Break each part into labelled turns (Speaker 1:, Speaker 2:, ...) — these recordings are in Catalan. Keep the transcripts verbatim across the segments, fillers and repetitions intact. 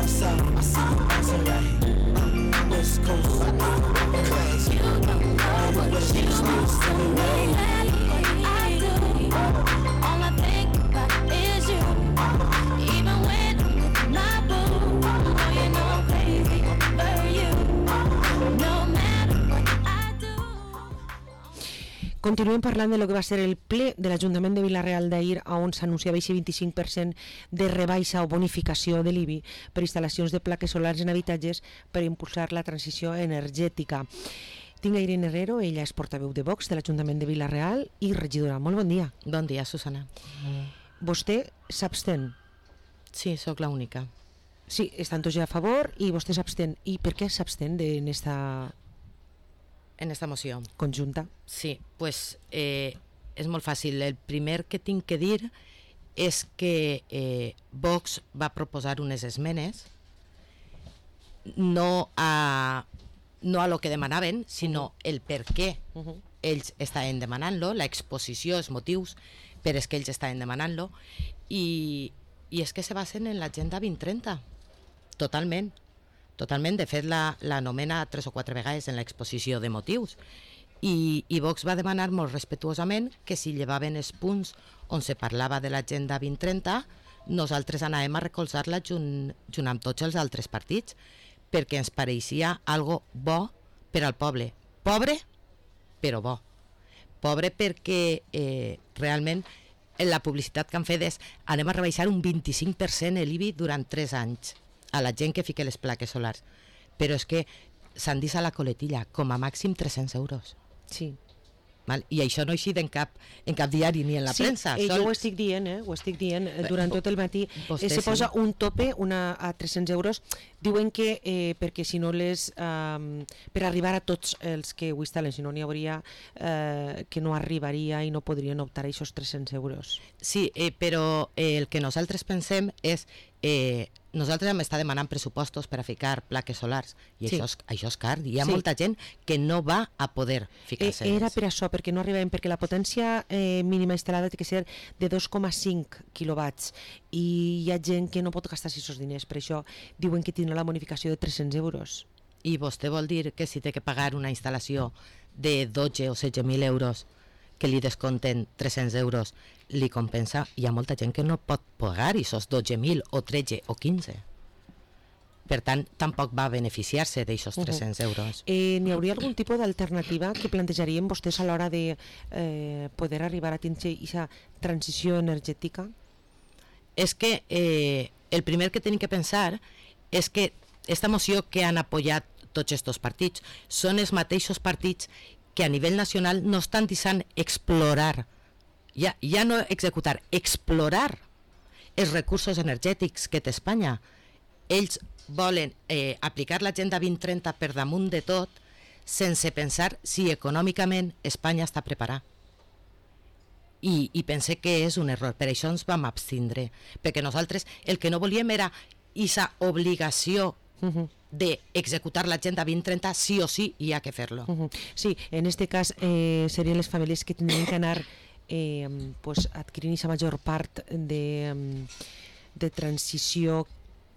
Speaker 1: south, I see you bouncing right. Uh, West Coast, crazy. You don't know what you do to me. I do. All I think about is you. Even when I'm with my boo, oh, you know I'm crazy for you. No matter what I do.
Speaker 2: Continuem parlant de lo que va ser el ple de l'Ajuntament de Vila-real d'ahir, on s'anunciava aquest vint-i-cinc per cent de rebaixa o bonificació de l'I B I per instal·lacions de plaques solars en habitatges per impulsar la transició energètica. Tinc a Irene Herrero, ella és portaveu de Vox de l'Ajuntament de Vila-real i regidora. Molt bon dia.
Speaker 3: Bon dia, Susana.
Speaker 2: Vostè s'abstén?
Speaker 3: Sí, sóc l'única.
Speaker 2: Sí, estan tots ja a favor i vostè s'abstén. I per què s'abstén en esta...
Speaker 3: en esta moció?
Speaker 2: Conjunta.
Speaker 3: Sí, pues eh, és molt fàcil. El primer que tinc que dir és que eh, Vox va proposar unes esmenes no a, no a lo que demanaven, sinó uh-huh. el per què uh-huh. ells estaven demanant-lo, la exposició, els motius per els que ells estaven demanant-lo, i, i és que se basen en l'agenda vint trenta, totalment. Totalment, de fet l'anomena tres o quatre vegades en l'exposició de motius i, i Vox va demanar molt respetuosament que si llevaven els punts on se parlava de l'agenda vint trenta nosaltres anàvem a recolzar-la junt, junt amb tots els altres partits perquè ens pareixia algo bo per al poble, pobre però bo, pobre perquè eh, realment la publicitat que han fet és anem a rebaixar un vint-i-cinc per cent l'I B I durant tres anys a la gent que fique les plaques solars, però és que s'han dit a la coletilla com a màxim tres-cents euros.
Speaker 2: Sí.
Speaker 3: Val? I això no eixit en cap, en cap diari ni en la
Speaker 2: sí,
Speaker 3: premsa.
Speaker 2: Sí, Sol... jo ho estic dient, eh? ho estic dient durant tot el matí. Eh, se posa sí. un tope una, a tres-cents euros. Diuen que eh, perquè si no les... Um, per arribar a tots els que ho instal·len, si no n'hi hauria eh, que no arribaria i no podrien optar a aquests tres-cents euros.
Speaker 3: Sí, eh, però eh, el que nosaltres pensem és... Eh, nosaltres hem estat demanant pressupostos per a ficar plaques solars i sí. això, és, això és car, hi ha sí. molta gent que no va a poder ficar-se.
Speaker 2: Eh, era per això, perquè no arribem, perquè la potència eh, mínima instal·lada té que ser de dos coma cinc quilowatts i hi ha gent que no pot gastar aquests diners, per això diuen que tindrà la bonificació de tres-cents euros.
Speaker 3: I vostè vol dir que si té que pagar una instal·lació de dotze o setze mil euros que li descompten tres-cents euros, li compensa? Hi ha molta gent que no pot pagar aquests dotze mil o tretze o quinze. Per tant, tampoc va beneficiar-se d'aquests tres-cents euros.
Speaker 2: Eh, N'hi hauria algun tipus d'alternativa que plantejarien vostès a l'hora de eh, poder arribar a tindre aquesta transició energètica?
Speaker 3: És que eh, el primer que tenim que pensar és que esta moció que han apoyat tots aquests partits són els mateixos partits que a nivell nacional no estan deixant explorar, ja, ja no executar, explorar els recursos energètics que té Espanya. Ells volen eh, aplicar l'agenda vint trenta per damunt de tot sense pensar si econòmicament Espanya està preparada. I, i pense que és un error, per això ens vam abstindre, perquè nosaltres el que no volíem era aquesta obligació uh-huh. de executar l'agenda vint trenta, sí o sí hi ha que fer-lo.
Speaker 2: Uh-huh. Sí, en este cas eh, serien les famílies que tindrien que anar eh, pues, adquirint aquesta major part de, de transició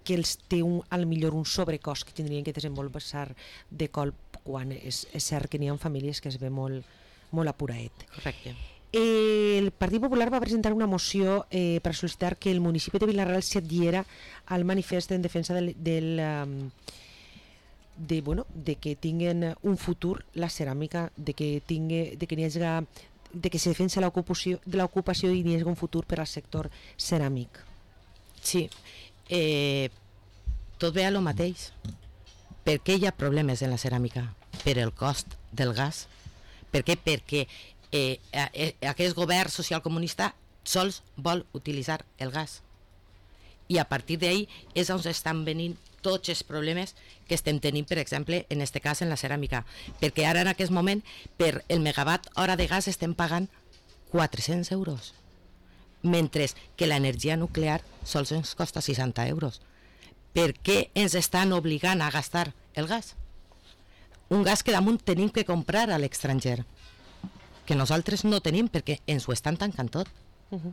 Speaker 2: que els té un, al millor un sobrecost que tindrien que desenvolupar de colp quan és, és cert que n'hi ha famílies que es ve molt, molt apuraet.
Speaker 3: Correcte.
Speaker 2: Eh, el Partit Popular va presentar una moció eh, per sol·licitar que el municipi de Vila-real s'adhiera al manifest en defensa del, del um, de, bueno, de que tinguen un futur la ceràmica, de que tingui, de que n'hi hagi, de que se defensa l'ocupació de l'ocupació i n'hi hagi un futur per al sector ceràmic.
Speaker 3: Sí, eh, tot ve a lo mateix. Per què hi ha problemes en la ceràmica? Per el cost del gas. Per què? Perquè eh, eh, aquest govern socialcomunista sols vol utilitzar el gas. I a partir d'ahí és on estan venint tots els problemes que estem tenint, per exemple, en aquest cas en la ceràmica, perquè ara en aquest moment per el megawatt hora de gas estem pagant quatre-cents euros, mentre que l'energia nuclear sols ens costa seixanta euros. Per què ens estan obligant a gastar el gas? Un gas que damunt tenim que comprar a l'estranger, que nosaltres no tenim perquè ens ho estan tancant tot. Uh-huh.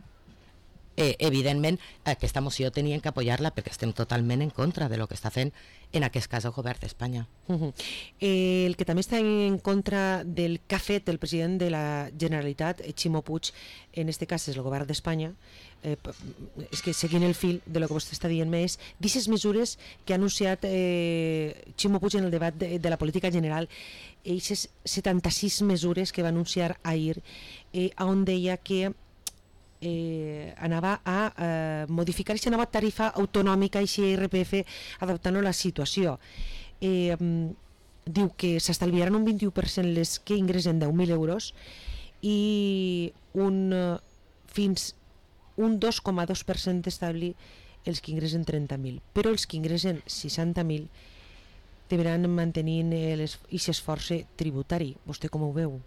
Speaker 3: eh, evidentment, aquesta moció tenien que apoyar-la perquè estem totalment en contra de lo que està fent, en aquest cas, el govern d'Espanya.
Speaker 2: Uh-huh. eh, el que també està en contra del que ha fet el president de la Generalitat, Ximo Puig, en aquest cas és el govern d'Espanya, eh, és que seguint el fil de lo que vostè està dient més, d'aquestes mesures que ha anunciat eh, Ximo Puig en el debat de, de la política general, aquestes setanta-sis mesures que va anunciar ahir, eh, on deia que Eh, anava a eh, modificar aquesta nova tarifa autonòmica i I R P F adaptant-ho a la situació. Eh, diu que s'estalviaran un vint-i-u per cent les que ingressen deu mil euros i un, fins un dos coma dos per cent d'establir els que ingressen trenta mil, però els que ingressen seixanta mil deberan mantenir aquest esforç tributari. Vostè com ho veu?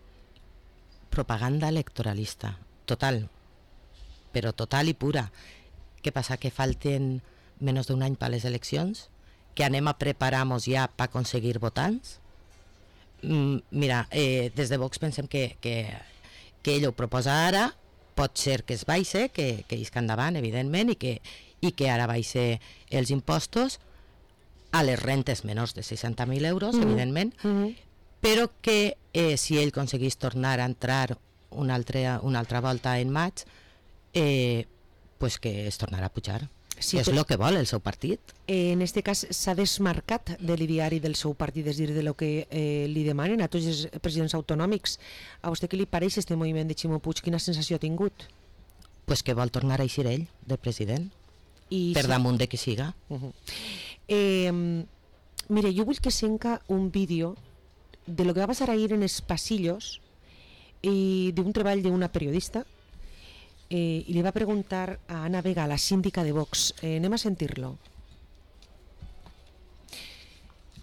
Speaker 3: Propaganda electoralista, total. Però total i pura. Què passa? Que falten menys d'un any per les eleccions? Que anem a preparar-nos ja per aconseguir votants? Mm, mira, eh, des de Vox pensem que, que, que ell ho proposa ara, pot ser que es baixe, que, que isca endavant, evidentment, i que, i que ara baixe els impostos a les rentes menors de seixanta mil euros, mm-hmm. evidentment, mm-hmm. però que eh, si ell aconseguís tornar a entrar una altra, una altra volta en maig, Eh, pues que es tornarà a pujar. Sí, és el que vol el seu partit.
Speaker 2: Eh, en aquest cas s'ha desmarcat de l'ideari del seu partit, és dir, de lo que eh, li demanen a tots els presidents autonòmics. A vostè què li pareix este moviment de Ximo Puig? Quina sensació ha tingut?
Speaker 3: Pues que vol tornar a eixir ell, de president, I per sí. damunt de qui siga.
Speaker 2: Uh-huh. eh, mire, jo vull que senca un vídeo de lo que va passar ahir en els passillos i d'un treball d'una periodista. Eh, i li va preguntar a Ana Vega, la síndica de Vox. Eh, anem a sentir-lo.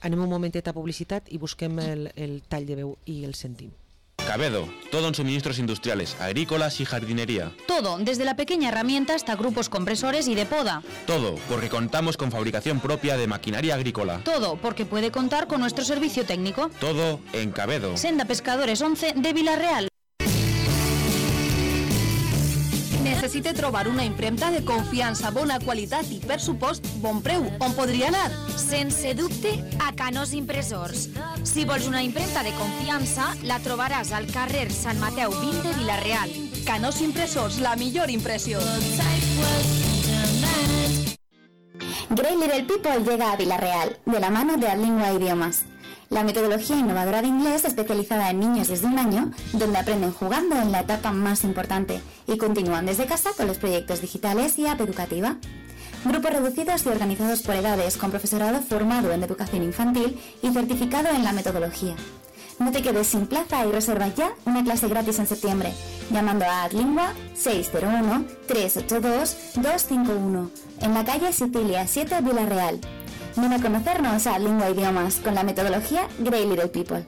Speaker 2: Anem un momentet a publicitat i busquem el, el tall de veu i el sentim.
Speaker 4: Cabedo, todo en suministros industriales, agrícolas y jardinería.
Speaker 5: Todo, desde la pequeña herramienta hasta grupos compresores y de poda.
Speaker 4: Todo, porque contamos con fabricación propia de maquinaria agrícola.
Speaker 5: Todo, porque puede contar con nuestro servicio técnico.
Speaker 4: Todo en Cabedo.
Speaker 5: Senda Pescadores once de Vila-real.
Speaker 6: Necessite trobar una impremta de confiança, bona qualitat i, per supost, bon preu. On podria anar?
Speaker 7: Sense dubte, a Canós Impressors. Si vols una impremta de confiança, la trobaràs al carrer Sant Mateu vint de Vila-real.
Speaker 6: Canós Impressors, la millor impressió.
Speaker 8: Great Little People llega a Vila-real, de la mano de Adlingua Idiomas. La metodología innovadora de inglés especializada en niños desde un año, donde aprenden jugando en la etapa más importante y continúan desde casa con los proyectos digitales y app educativa. Grupos reducidos y organizados por edades, con profesorado formado en educación infantil y certificado en la metodología. No te quedes sin plaza y reserva ya una clase gratis en septiembre, llamando a Adlingua seis cero uno, tres ocho dos, dos cinco uno, en la calle Sicilia siete, Vila-real. Ven a conocernos a Lingua Idiomas con la metodología Great Little People.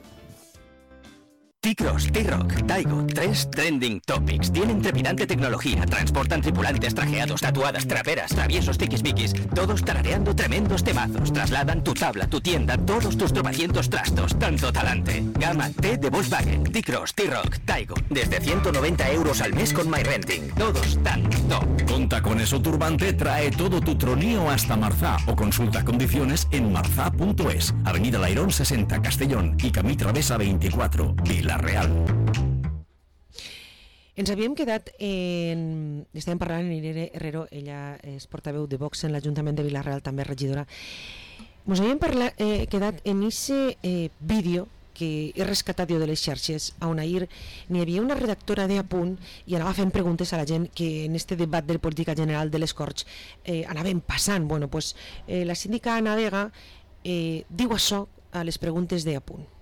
Speaker 9: T-Cross, T-Rock, Taigo, tres trending topics. Tienen trepidante tecnología, transportan tripulantes trajeados, tatuadas, traperas, traviesos, tiquismiquis, todos tarareando tremendos temazos. Trasladan tu tabla, tu tienda, todos tus tropecientos trastos, tanto talante. Gama T de Volkswagen, T-Cross, T-Rock, Taigo, desde ciento noventa euros al mes con MyRenting. Todos tan top.
Speaker 10: Conta con eso Turbante, trae todo tu tronío hasta Marzá o consulta condiciones en marzá punto es. Avenida Lairón sesenta, Castellón y Camí Travesa veinticuatro, Vila Real.
Speaker 2: Ens havíem quedat en... Estàvem parlant amb Irene Herrero, ella és portaveu de Vox en l'Ajuntament de Vila-real, també regidora. Ens havíem parlat, eh, quedat en aquest eh, vídeo que he rescatat jo de les xarxes, on ahir n'hi havia una redactora de Apunt i anava fent preguntes a la gent que en este debat de política general de les Corts eh, anaven passant. Bueno, pues, eh, la síndica Ana Vega eh, diu això a les preguntes de Apunt.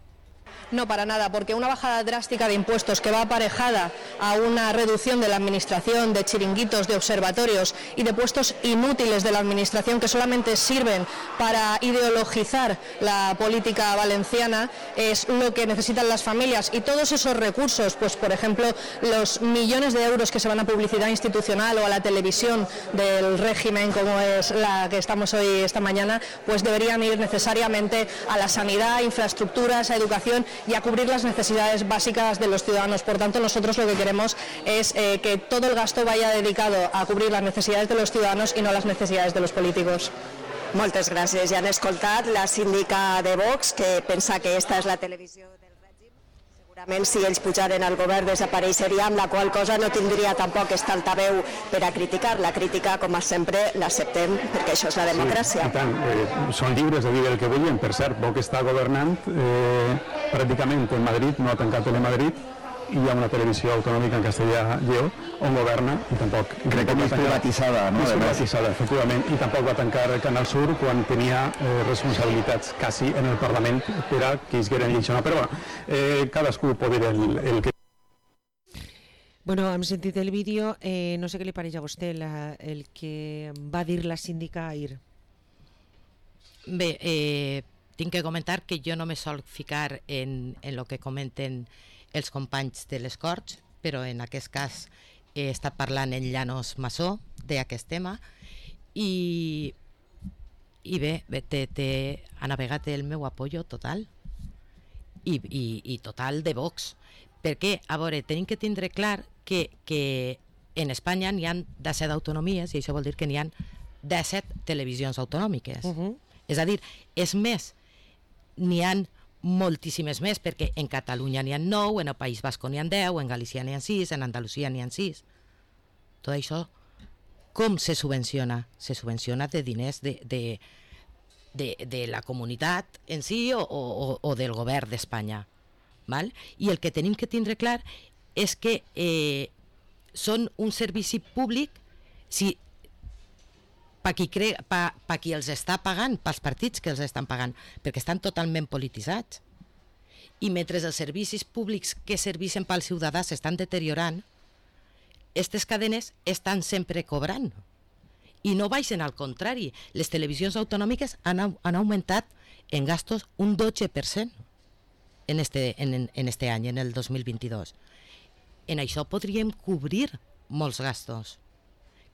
Speaker 11: No, para nada, porque una bajada drástica de impuestos que va aparejada a una reducción de la administración, de chiringuitos, de observatorios y de puestos inútiles de la administración que solamente sirven para ideologizar la política valenciana, es lo que necesitan las familias. Y todos esos recursos, pues por ejemplo, los millones de euros que se van a publicidad institucional o a la televisión del régimen, como es la que estamos hoy esta mañana, pues deberían ir necesariamente a la sanidad, a infraestructuras, a educación y a cubrir las necesidades básicas de los ciudadanos. Por tanto, nosotros lo que queremos es eh, que todo el gasto vaya dedicado a cubrir las necesidades de los ciudadanos y no las necesidades de los políticos.
Speaker 12: Moltes gràcies. Ja han escoltat la síndica de Vox, que pensa que esta és la televisió del règim. Segurament si ells pujaren al govern desapareixeria, amb la qual cosa no tindria tampoc aquest altaveu per a criticar. La crítica, com sempre, l'acceptem, perquè això és la democràcia.
Speaker 13: Sí, i tant, eh, són lliures de dir el que vulguin. Per cert, Vox està governant eh, pràcticament en Madrid, no ha tancat Telemadrid, i hi ha una televisió autonòmica en castellà, Lleó, on governa i tampoc...
Speaker 14: Crec que és privatitzada, no?
Speaker 13: És privatitzada, efectivament, i tampoc va tancar Canal Sur quan tenia eh, responsabilitats quasi en el Parlament per a que es gueren lliçonar. Però bueno, eh, cadascú pot dir el, el que...
Speaker 2: Bueno, hem sentit el vídeo, eh, no sé què li pareix a vostè la, el que va dir la síndica ahir.
Speaker 3: Bé, eh, tinc que comentar que jo no me sol ficar en, en lo que comenten els companys de les Corts, però en aquest cas he estat parlant en Llanos Massó d'aquest tema i, i bé, té, té, ha navegat el meu apoyo total i, i, i total de Vox, perquè, a veure, tenim que tindre clar que, que en Espanya n'hi ha disset autonomies i això vol dir que n'hi ha disset televisions autonòmiques. Uh-huh. És a dir, és més, n'hi ha moltíssimes més, perquè en Catalunya n'hi ha nou, en el País Basco n'hi ha deu, en Galícia n'hi ha sis, en Andalusia n'hi ha sis. Tot això, com se subvenciona? Se subvenciona de diners de, de, de, de la comunitat en si o, o, o del govern d'Espanya. I el que tenim que tindre clar és que eh, són un servici públic si per qui, cre... pa, pa qui els està pagant, pels partits que els estan pagant, perquè estan totalment polititzats. I mentre els servicis públics que serveixen pel ciutadà s'estan deteriorant, aquestes cadenes estan sempre cobrant. I no baixen, al contrari, les televisions autonòmiques han, han augmentat en gastos un dotze per cent en este, en, en este any, en el dos mil vint-i-dos. En això podríem cobrir molts gastos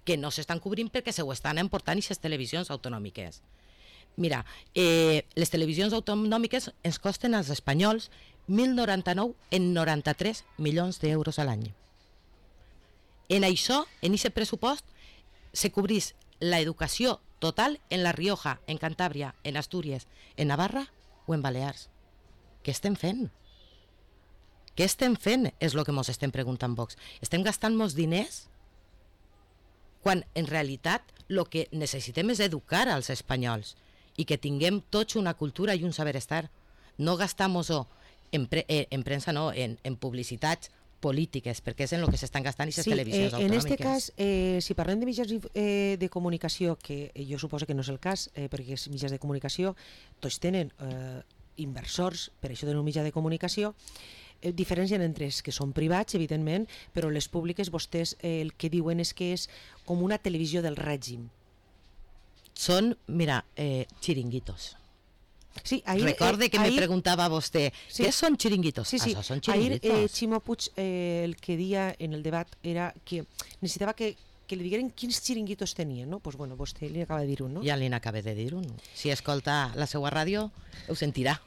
Speaker 3: que no s'estan cobrint perquè se ho estan emportant aquestes televisions autonòmiques. Mira, eh, les televisions autonòmiques ens costen als espanyols mil noranta-nou en noranta-tres milions d'euros a l'any. En això, en aquest pressupost, se cobrís l'educació total en La Rioja, en Cantàbria, en Astúries, en Navarra o en Balears. Què estem fent? Què estem fent? És el que ens estem preguntant Vox. Estem gastant molts diners quan en realitat el que necessitem és educar als espanyols i que tinguem tots una cultura i un saber estar. No gastam-ho en, pre, eh, en premsa, no, en, en publicitats polítiques, perquè és en el que s'estan gastant aquestes
Speaker 2: sí,
Speaker 3: televisions
Speaker 2: eh,
Speaker 3: autonòmiques.
Speaker 2: En aquest cas, eh, si parlem de mitjans eh, de comunicació, que jo suposo que no és el cas, eh, perquè els mitjans de comunicació tots tenen eh, inversors, per això tenen un mitjà de comunicació, eh, diferencien entre els que són privats, evidentment, però les públiques, vostès eh, el que diuen és que és com una televisió del règim.
Speaker 3: Són, mira, eh, xiringuitos.
Speaker 2: Sí, ahir,
Speaker 3: Recorde
Speaker 2: eh,
Speaker 3: que
Speaker 2: ahir,
Speaker 3: me preguntava vostè, sí, què són xiringuitos?
Speaker 2: Sí, sí.
Speaker 3: Això són
Speaker 2: Ahir
Speaker 3: xiringuitos.
Speaker 2: eh, Ximo Puig eh, el que dia en el debat era que necessitava que, que li digueren quins xiringuitos tenien, no? Pues bueno, vostè li acaba de dir un, no?
Speaker 3: Ja li n'acaba de dir un. Si escolta la seva ràdio, ho sentirà.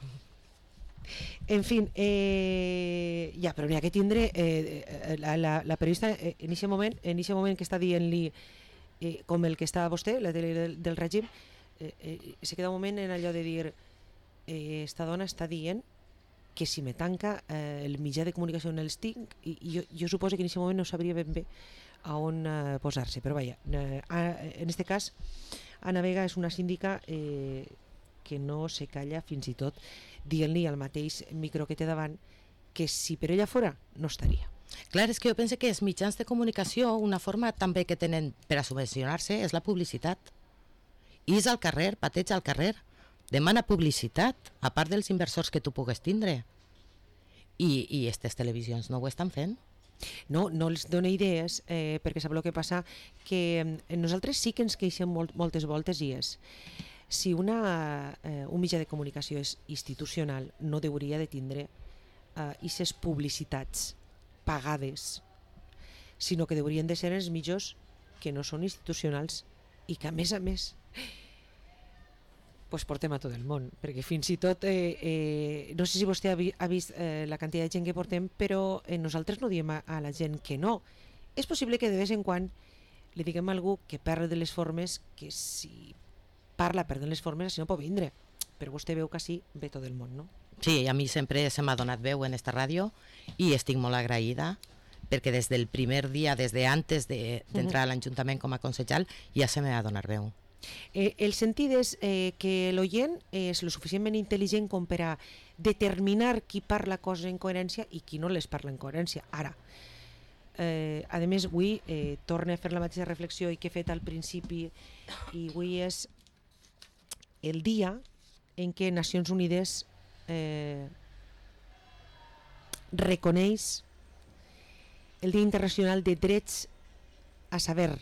Speaker 2: En fin, eh, ja, però n'hi ha que tindre eh, la, la, la periodista eh, en aquest moment, en aquest moment que està dient-li eh, com el que està vostè, la tele del, del règim, eh, eh, se queda un moment en allò de dir eh, esta dona està dient que si me tanca eh, el mitjà de comunicació on els tinc, i, i jo, jo suposo que en aquest moment no sabria ben bé a on eh, posar-se, però vaja, eh, en este cas Ana Vega és una síndica eh, que no se calla, fins i tot dient-li al mateix micro que té davant que si per ella fora no estaria.
Speaker 3: Clar, és que jo penso que els mitjans de comunicació, una forma també que tenen per a subvencionar-se és la publicitat. Is al carrer, pateig al carrer, demana publicitat, a part dels inversors que tu pugues tindre. I, i aquestes televisions no ho estan fent.
Speaker 2: No, no els dona idees, eh, perquè sap el que passa, que eh, nosaltres sí que ens queixem molt, moltes voltes i és si una, eh, un mitjà de comunicació és institucional no hauria de tindre aquestes eh, publicitats pagades, sinó que haurien de ser els mitjors que no són institucionals i que a més a més pues portem a tot el món, perquè fins i tot, eh, eh, no sé si vostè ha, vi, ha vist eh, la quantitat de gent que portem, però eh, nosaltres no diem a, a la gent que no. És possible que de vegades en quan li diguem a algú que perd de les formes, que si parla perdent les formes, així no pot vindre. Però vostè veu que així ve tot el món, no?
Speaker 3: Sí, a mi sempre se m'ha donat veu en esta ràdio i estic molt agraïda perquè des del primer dia, des de antes de, d'entrar a l'Ajuntament com a concejal, ja se m'ha donat veu.
Speaker 2: Eh, el sentit és eh, que l'oient és lo suficientment intel·ligent com per a determinar qui parla coses en coherència i qui no les parla en coherència. Ara, eh, a més, avui eh, torno a fer la mateixa reflexió i que he fet al principi, i avui és el dia en què Nacions Unides eh, reconeix el Dia Internacional de Drets a Saber.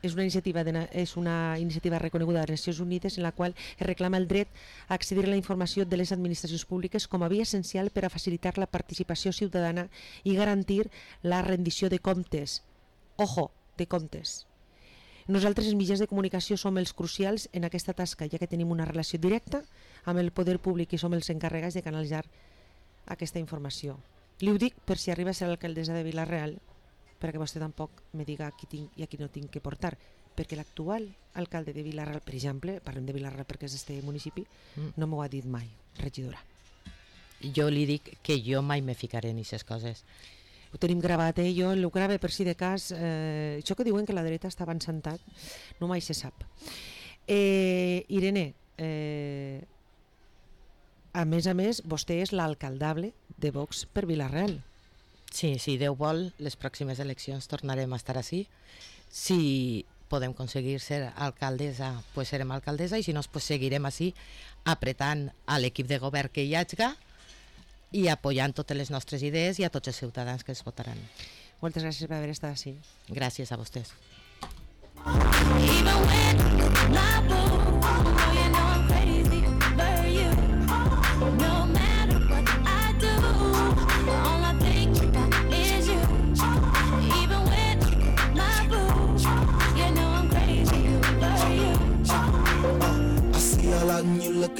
Speaker 2: És una iniciativa, de, és una iniciativa reconeguda de les Nacions Unides en la qual es reclama el dret a accedir a la informació de les administracions públiques com a via essencial per a facilitar la participació ciutadana i garantir la rendició de comptes. Ojo, de comptes. Nosaltres, els mitjans de comunicació, som els crucials en aquesta tasca, ja que tenim una relació directa amb el poder públic i som els encarregats de canalitzar aquesta informació. Li ho dic per si arriba a ser l'alcaldessa de Vila-real, perquè vostè tampoc me diga qui tinc i a qui no tinc que portar, perquè l'actual alcalde de Vila-real, per exemple, parlem de Vila-real perquè és este municipi, mm. no m'ho ha dit mai, regidora.
Speaker 3: Jo li dic que jo mai me ficaré en aquestes coses.
Speaker 2: Ho tenim gravat, eh? Jo ho grave per si de cas, eh, això que diuen que la dreta estava encentat, no mai se sap. Eh, Irene, eh, a més a més, vostè és l'alcaldable de Vox per Vila-real.
Speaker 3: Sí, si Déu vol, les pròximes eleccions tornarem a estar així. Si podem aconseguir ser alcaldessa, pues serem alcaldessa, i si no, pues seguirem així apretant a l'equip de govern que hi hagi i apoyant totes les nostres idees i a tots els ciutadans que els votaran.
Speaker 2: Moltes gràcies per haver estat així.
Speaker 3: Gràcies a vostès.
Speaker 1: All out and you looking